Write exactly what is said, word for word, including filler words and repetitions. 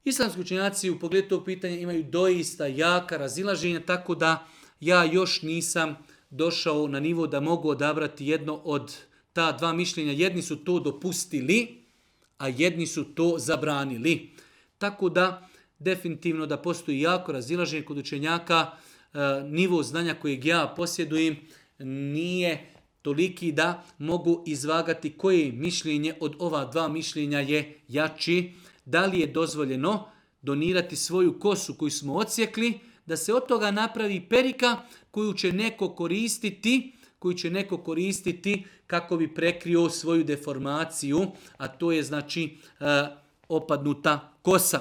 Islamski učenjaci u pogledu tog pitanja imaju doista jaka razilaženja, tako da ja još nisam došao na nivo da mogu odabrati jedno od ta dva mišljenja. Jedni su to dopustili, a jedni su to zabranili. Tako da definitivno da postoji jako razilaženje kod učenjaka, nivo znanja kojeg ja posjedujem nije toliki da mogu izvagati koje mišljenje od ova dva mišljenja je jači. Da li je dozvoljeno donirati svoju kosu koju smo odsjekli, da se od toga napravi perika koju će neko koristiti, koju će neko koristiti kako bi prekrio svoju deformaciju, a to je znači opadnuta kosa.